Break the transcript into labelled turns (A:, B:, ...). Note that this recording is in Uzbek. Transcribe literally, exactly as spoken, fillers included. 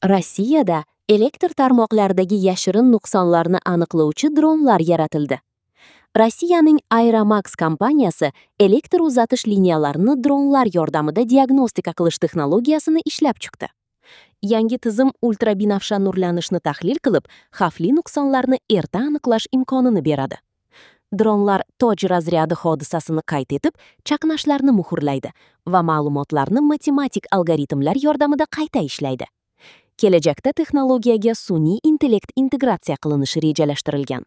A: Rossiyada elektr tarmoqlaridagi yashirin nuqsonlarni aniqlovchi dronlar yaratildi. Rossiyaning Aeromax kompaniyasi elektr uzatish liniyalarini dronlar yordamida diagnostika qilish texnologiyasini ishlab chiqdi. Yangi tizim ultrabinafsha nurlanishni tahlil qilib, xavfli nuqsonlarni erta aniqlash imkonini beradi. Dronlar toj razryadi hodisasini qayd etib, chaqnashlarni muhrlaydi va ma'lumotlarni matematik algoritmlar yordamida qayta ishlaydi. Kelajakda texnologiyaga sun'iy intellekt integratsiya qilinishi rejalashtirilgan.